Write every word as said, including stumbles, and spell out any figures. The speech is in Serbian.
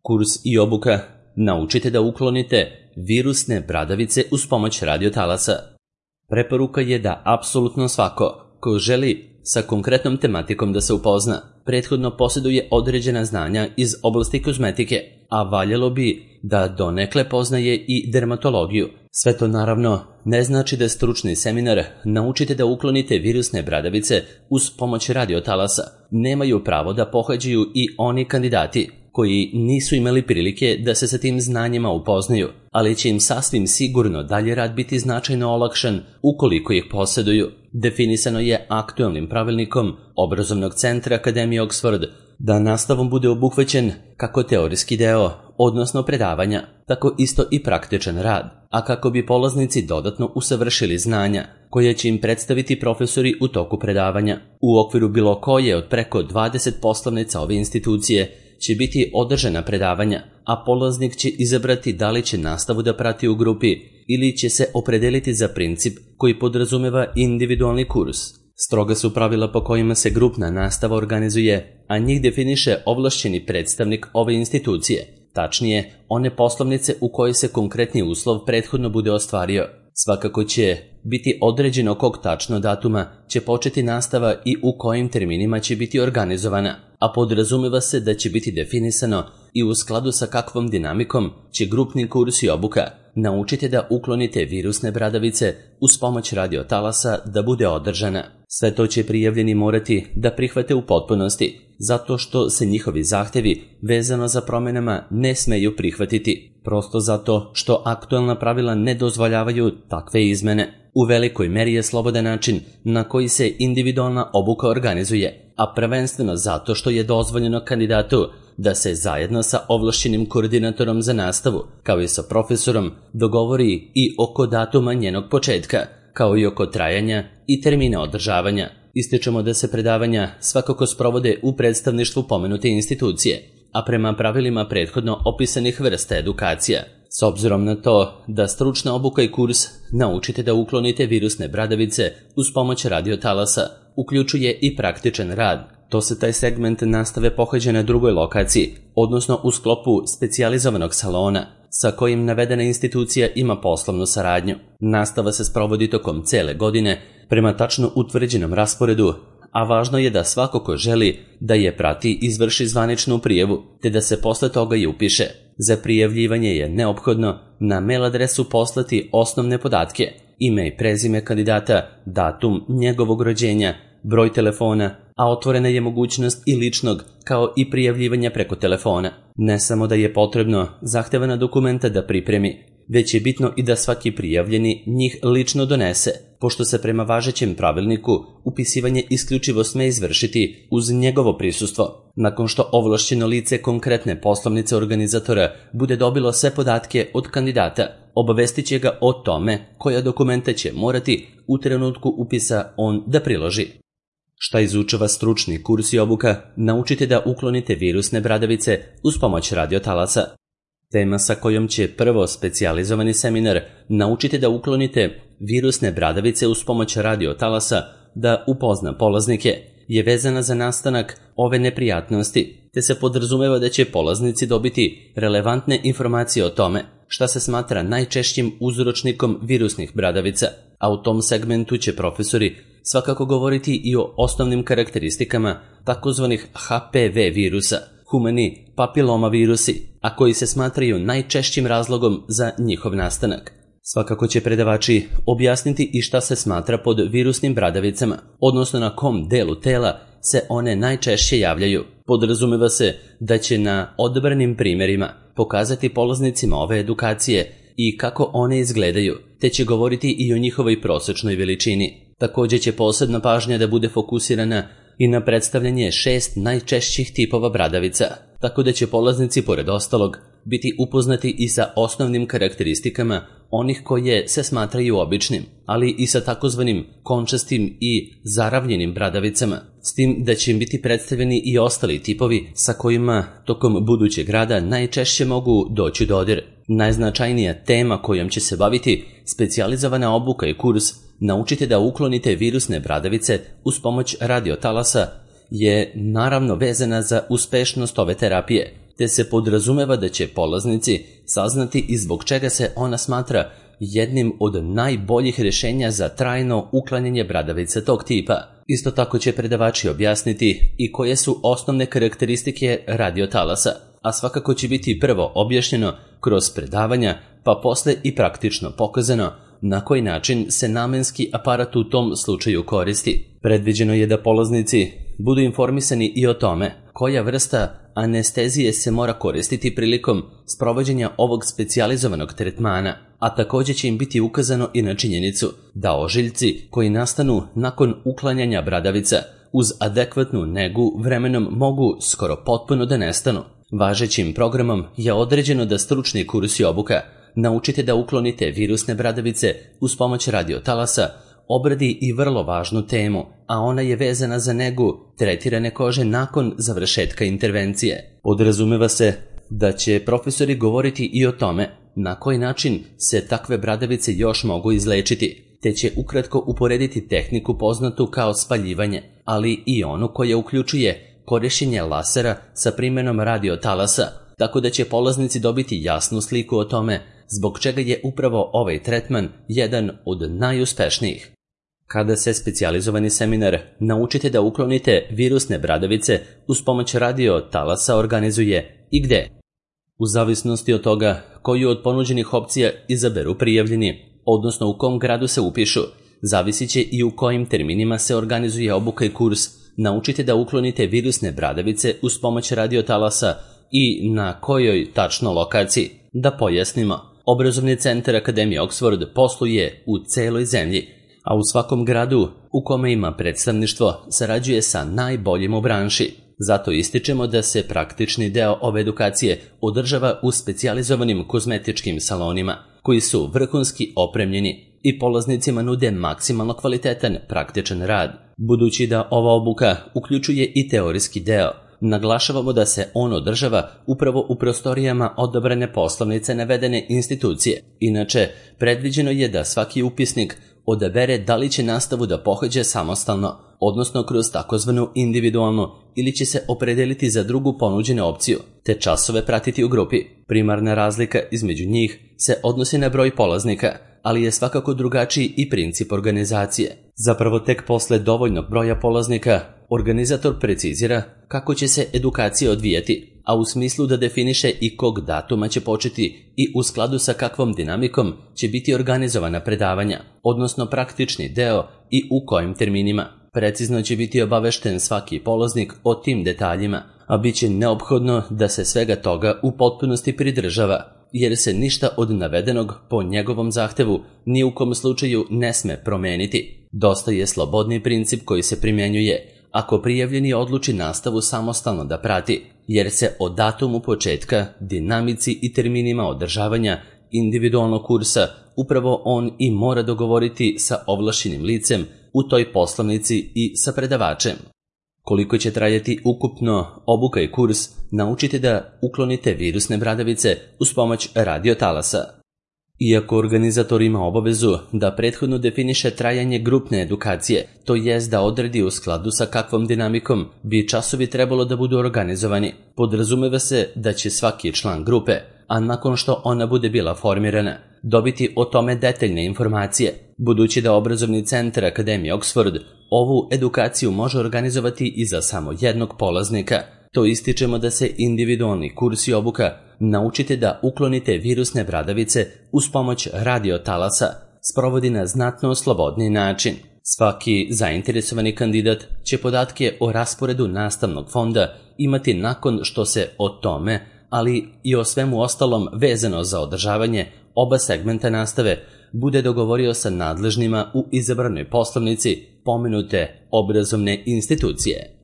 Kurs i obuka. Naučite da uklonite virusne bradavice uz pomoć radiotalasa. Preporuka je da apsolutno svako ko želi sa konkretnom tematikom da se upozna, prethodno posjeduje određena znanja iz oblasti kozmetike, a valjalo bi da donekle poznaje i dermatologiju. Sve to naravno ne znači da je stručni seminar Naučite da uklonite virusne bradavice uz pomoć radiotalasa nemaju pravo da pohađaju i oni kandidati koji nisu imali prilike da se sa tim znanjima upoznaju, ali će im sasvim sigurno dalje rad biti značajno olakšan ukoliko ih posjeduju. Definisano je aktualnim pravilnikom Obrazovnog centra Akademije Oxford da nastavom bude obuhvaćen kako teorijski deo, odnosno predavanja, tako isto i praktičan rad, a kako bi polaznici dodatno usavršili znanja koje će im predstaviti profesori u toku predavanja. U okviru bilo koje od preko dvadeset poslovnica ove institucije će biti održana predavanja, a polaznik će izabrati da li će nastavu da prati u grupi ili će se opredeliti za princip koji podrazumeva individualni kurs. Stroga su pravila po kojima se grupna nastava organizuje, a njih definiše ovlašćeni predstavnik ove institucije, tačnije one poslovnice u kojoj se konkretni uslov prethodno bude ostvario. Svakako će biti određeno kog tačno datuma će početi nastava i u kojim terminima će biti organizovana, a podrazumeva se da će biti definisano i u skladu sa kakvom dinamikom će grupni kurs i obuka Naučite da uklonite virusne bradavice uz pomoć radiotalasa da bude održana. Sve to će prijavljeni morati da prihvate u potpunosti, zato što se njihovi zahtevi vezano za promjenama ne smeju prihvatiti, prosto zato što aktualna pravila ne dozvoljavaju takve izmene. U velikoj meri je slobodan način na koji se individualna obuka organizuje, a prvenstveno zato što je dozvoljeno kandidatu da se zajedno sa ovlašćenim koordinatorom za nastavu, kao i sa profesorom, dogovori i oko datuma njenog početka, kao i oko trajanja i termina održavanja. Ističemo da se predavanja svakako sprovode u predstavništvu pomenute institucije, a prema pravilima prethodno opisanih vrsta edukacija. S obzirom na to da stručna obuka i kurs Naučite da uklonite virusne bradavice uz pomoć radiotalasa uključuje i praktičan rad, to se taj segment nastave pohađa na drugoj lokaciji, odnosno u sklopu specijalizovanog salona, sa kojim navedena institucija ima poslovnu saradnju. Nastava se sprovodi tokom cele godine prema tačno utvrđenom rasporedu, a važno je da svako ko želi da je prati izvrši zvaničnu prijavu, te da se posle toga i upiše. Za prijavljivanje je neophodno na mail adresu poslati osnovne podatke, ime i prezime kandidata, datum njegovog rođenja, broj telefona, a otvorena je mogućnost i ličnog kao i prijavljivanja preko telefona. Ne samo da je potrebno zahtevana dokumenta da pripremi, već je bitno i da svaki prijavljeni njih lično donese, pošto se prema važećem pravilniku upisivanje isključivo sme izvršiti uz njegovo prisustvo. Nakon što ovlašćeno lice konkretne poslovnice organizatora bude dobilo sve podatke od kandidata, obavestit će ga o tome koja dokumenta će morati u trenutku upisa on da priloži. Šta izučava stručni kurs i obuka Naučite da uklonite virusne bradavice uz pomoć radiotalasa? Tema sa kojom će prvo specijalizovani seminar Naučite da uklonite virusne bradavice uz pomoć radiotalasa da upozna polaznike je vezana za nastanak ove neprijatnosti, te se podrazumeva da će polaznici dobiti relevantne informacije o tome šta se smatra najčešćim uzročnikom virusnih bradavica, a u tom segmentu će profesori svakako govoriti i o osnovnim karakteristikama takozvanih H P V virusa, humani papiloma virusi, a koji se smatraju najčešćim razlogom za njihov nastanak. Svakako će predavači objasniti i šta se smatra pod virusnim bradavicama, odnosno na kom delu tela se one najčešće javljaju. Podrazumeva se da će na odabranim primjerima pokazati polaznicima ove edukacije i kako one izgledaju, te će govoriti i o njihovoj prosečnoj veličini. Također će posebna pažnja da bude fokusirana i na predstavljanje šest najčešćih tipova bradavica, tako da će polaznici pored ostalog biti upoznati i sa osnovnim karakteristikama onih koje se smatraju običnim, ali i sa takozvanim končastim i zaravljenim bradavicama, s tim da će im biti predstavljeni i ostali tipovi sa kojima tokom budućeg rada najčešće mogu doći u dodir. Najznačajnija tema kojom će se baviti specijalizovana obuka i kurs Naučite da uklonite virusne bradavice uz pomoć radiotalasa je naravno vezana za uspešnost ove terapije, te se podrazumeva da će polaznici saznati i zbog čega se ona smatra jednim od najboljih rješenja za trajno uklanjanje bradavica tog tipa. Isto tako će predavači objasniti i koje su osnovne karakteristike radiotalasa, a svakako će biti prvo objašnjeno kroz predavanja, pa posle i praktično pokazano na koji način se namenski aparat u tom slučaju koristi. Predviđeno je da polaznici budu informisani i o tome koja vrsta anestezije se mora koristiti prilikom sprovođenja ovog specijalizovanog tretmana, a također će im biti ukazano i na činjenicu da ožiljci koji nastanu nakon uklanjanja bradavica uz adekvatnu negu vremenom mogu skoro potpuno da nestanu. Važećim programom je određeno da stručni kurs i obuka naučite da uklonite virusne bradavice uz pomoć radiotalasa obradi i vrlo važnu temu, a ona je vezana za negu tretirane kože nakon završetka intervencije. Podrazumeva se da će profesori govoriti i o tome na koji način se takve bradavice još mogu izlečiti, te će ukratko uporediti tehniku poznatu kao spaljivanje, ali i onu koja uključuje korišćenje lasera sa primjenom radiotalasa, tako da će polaznici dobiti jasnu sliku o tome zbog čega je upravo ovaj tretman jedan od najuspešnijih. Kada se specijalizovani seminar naučite da uklonite virusne bradavice uz pomoć radiotalasa organizuje i gde? U zavisnosti od toga koju od ponuđenih opcija izaberu prijavljeni, odnosno u kom gradu se upišu, zavisit će i u kojim terminima se organizuje obuka i kurs. Naučite da uklonite virusne bradavice uz pomoć radiotalasa i na kojoj tačno lokaciji. Da pojasnimo, obrazovni centar Akademije Oxford posluje u celoj zemlji, a u svakom gradu u kome ima predstavništvo sarađuje sa najboljim u branši. Zato ističemo da se praktični deo ove edukacije održava u specijalizovanim kozmetičkim salonima, koji su vrhunski opremljeni i polaznicima nude maksimalno kvalitetan praktičan rad. Budući da ova obuka uključuje i teorijski deo, naglašavamo da se on održava upravo u prostorijama odabrane poslovnice navedene institucije. Inače, predviđeno je da svaki upisnik odabere da li će nastavu da pohađa samostalno, odnosno kroz takozvanu individualnu, ili će se opredeliti za drugu ponuđenu opciju, te časove pratiti u grupi. Primarna razlika između njih se odnosi na broj polaznika, ali je svakako drugačiji i princip organizacije. Zapravo tek posle dovoljnog broja polaznika, organizator precizira kako će se edukacija odvijati, a u smislu da definiše i kog datuma će početi i u skladu sa kakvom dinamikom će biti organizovana predavanja, odnosno praktični deo i u kojim terminima. Precizno će biti obavešten svaki polaznik o tim detaljima, a bit će neophodno da se svega toga u potpunosti pridržava, jer se ništa od navedenog po njegovom zahtevu ni u kom slučaju ne sme promeniti. Dosta je slobodni princip koji se primjenjuje ako prijavljeni odluči nastavu samostalno da prati, jer se o datumu početka, dinamici i terminima održavanja individualnog kursa upravo on i mora dogovoriti sa ovlašćenim licem u toj poslovnici i sa predavačem. Koliko će trajati ukupno obuka i kurs, naučite da uklonite virusne bradavice uz pomoć radiotalasa. Iako organizator ima obavezu da prethodno definiše trajanje grupne edukacije, to jest da odredi u skladu sa kakvom dinamikom bi časovi trebalo da budu organizovani, podrazumeva se da će svaki član grupe, a nakon što ona bude bila formirana, dobiti o tome detaljne informacije. Budući da obrazovni centar Akademije Oxford ovu edukaciju može organizovati i za samo jednog polaznika, to ističemo da se individualni kurs i obuka naučite da uklonite virusne bradavice uz pomoć radiotalasa sprovodi na znatno slobodniji način. Svaki zainteresovani kandidat će podatke o rasporedu nastavnog fonda imati nakon što se o tome, ali i o svemu ostalom vezano za održavanje oba segmenta nastave, bude dogovorio sa nadležnima u izabranoj poslovnici pomenute obrazovne institucije.